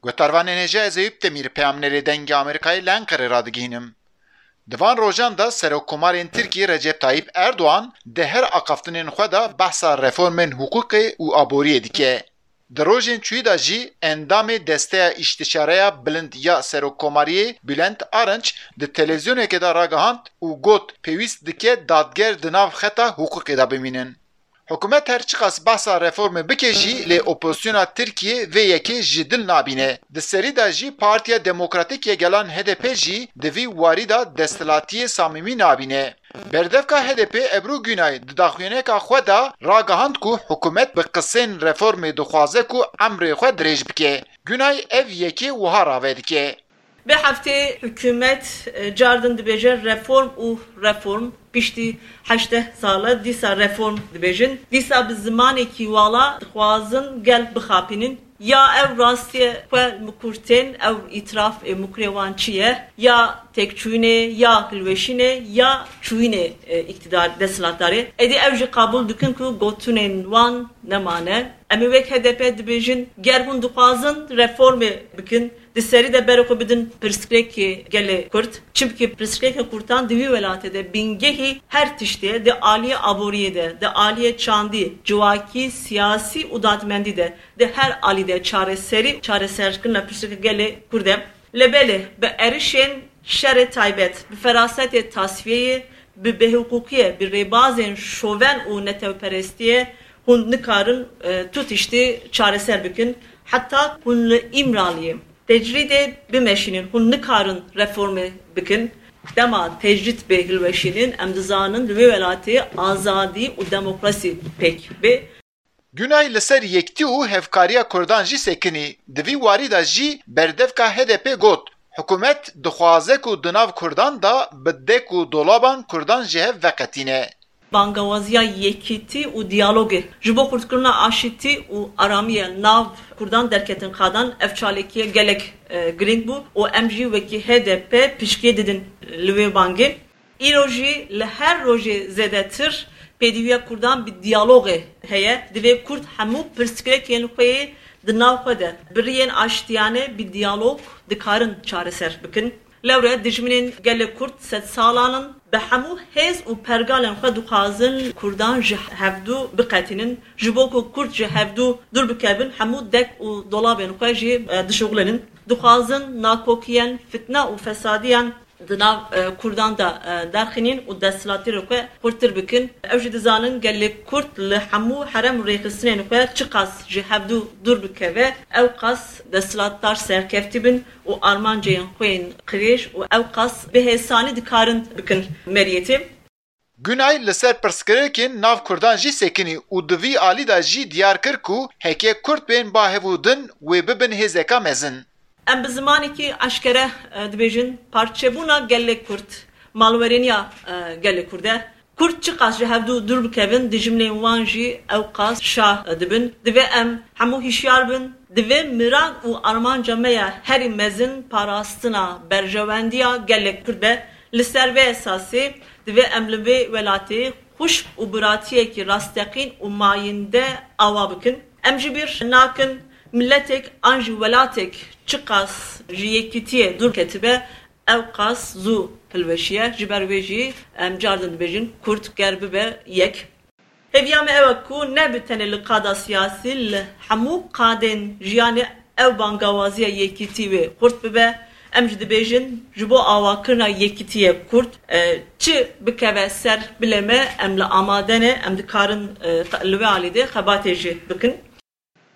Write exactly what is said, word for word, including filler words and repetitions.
Guhdarvanên hêja, ez Eyûp Demîr, peyamnerê Dengê Amerîkayê li Enqerê radigihînim. Di van rojan de Serokkomarên Tirkiyê Recep Tayyip Erdoğan di her axaftinên xwe de behsa reformên hiqûqê û aboriyê dike. Di rojên çûyî de jî endamê Desteya Îstişareya Bilind ya Serokkomariyê Bülent Arınç di televîzyonekê de ragihand û got, pêwîst dike dadger di nav xeta hiqûqê de bimînin. Hikûmet her çiqas behsa reformê bike jî, lê opozisyona Tirkiyê vê yekê ji dil nabîne. Di serî de jî Partiya Demokratîk ya Gelan H D P jî di vî warî de desthilatiyê samîmî nabîne. Berdevka H D P Ebru Günay di daxuyaniyeka xwe de ragihand ku hikûmet bi qisên reformê dixwaze ku emrê xwe dirêj bike. Günay ev yekê wiha rave dike. Vê heftê hikûmet, e, cardin dibêje reform û reform. Piştî heşteh sal e dîsa reform dibêjin. Dîsa bi zimanekî wala dixwazin gel bixapînin. Ya ev rastiye xwe mikurtên, ew îtiraf ê mikurê wan çi ye? Ya têkçûyînê, ya hilweşînê, ya çûyînê, e, îktidar, desthilatdarê. Êdî ew jî qebûl dikin ku gotinên wan nemane. Em ê wek H D P dibêjin, ger hûn dixwazin reformê bikin, di serî de berê xwe bidin pirsgirêkê gelê Kurd. Çimkî pirsgirêkên Kurdan di vî welatê de bingehî her tiştê ye, di aliyê aboriyê de, di aliyê çandî, civakî, siyasî û dadmendî de, di her alî de çareserî, çareserkirina pirsgirêka gelê Kurd e. Lê belê, bi êrişên şerê taybet, bi ferasetê tasfiyeyê, bi bêhiqûqiyê, bi rêbazên şoven û netewperestiyê hûn nikarin, e, tu tiştî çareser bikin. Heta hûn li Îmraliyê tecrîdê bimeşînin, hûn nikarin reformê bikin. Dema tecrîd bê hilweşînin, em dizanin li wê welatê azadî û demokrasî pêk bê. Günay li ser yekitî û hevkariya Kurdan jî sekinî. Di vî warî de jî berdevka H D P got, hikûmet dixwaze ku di nav Kurdan de bi dek û dolaban Kurdan ji hev veqetîne. Bangawaziya yekitî û diyalogê ji bo xurtkirina aşîtî û aramiyê nav Kurdan derketin qadan. Ev çalakiyê gelek, e, girîng bû û em jî wekî H D P piştgiriyê didin li wê bangê. Îro jî li her rojê zêdetir pêdiviya Kurdan bi diyalogê heye. Divê Kurd hemû pirsgirêkên xwe yê di nav xwe de bi riyên aştiyane, bi diyalog dikarin çareser bikin. Lewre dijminên gelê Kurd sedsalan in, bi hemû hêz û pergalên xwe dixwazin Kurdan ji hevdû biqetînin. Ji bo ku Kurd ji hevdû dûr bikevin, hemû dek û dolabên xwe jî, e, dişuxulînin. Dixwazin nakokiyên, fitne û fesadiyan di nav, e, Kurdan de, e, derxînin û desthilatiyê xwe xurtir bikin. Ew jî dizanin gelê Kurd li hemû herem û rêxistinên xwe çiqas ji hevdû dûr bikeve, ew qas desthilatdar serkeftî bin û armancên xwe yên qirêj û ew qas bi hêsanî dikarin bikin meriyetê. Günay li ser pirsgirêkên nav Kurdan jî sekinî û di vî alî de jî diyar kir ku heke Kurd bên ba hev û din, wê bibin hêzeka mezin. Em bi zimanekî eşkere, e, dibêjin, parçebûna gelê Kurd, malwerêniya, e, gelê Kurd e. Kurd çiqas ji hevdû dûr bikevin, dijminên wan jî ew qas şa, e, dibin. Divê em hemû hişyar bin. Divê miran û armanca me ya herî mezin parastina berjewendiya gelê Kurd be. Li ser vê esasê divê em li vê welatê xwişk û biratiyekî rasteqîn û mayînde awa bikin. Em ji bîr nakin, miletek an jî welatek çiqas ji yekîtiyê dûr ketibe, ew qas zû hilweşiye. Ji ber wê jî em cardin dibêjin, Kurd ger bibe yek. Hêviya me ew e ku ne bi tenê li qada siyasî, li hemû qadên jiyanê ew bangawaziya yekîtî wê xurt bibe. Em jî dibêjin, ji bo awakirina yekîtiyê Kurd, e, çi bikeve ser bilê me, em li amade ne, em dikarin, e, li wê alî de xebatê jî bikin.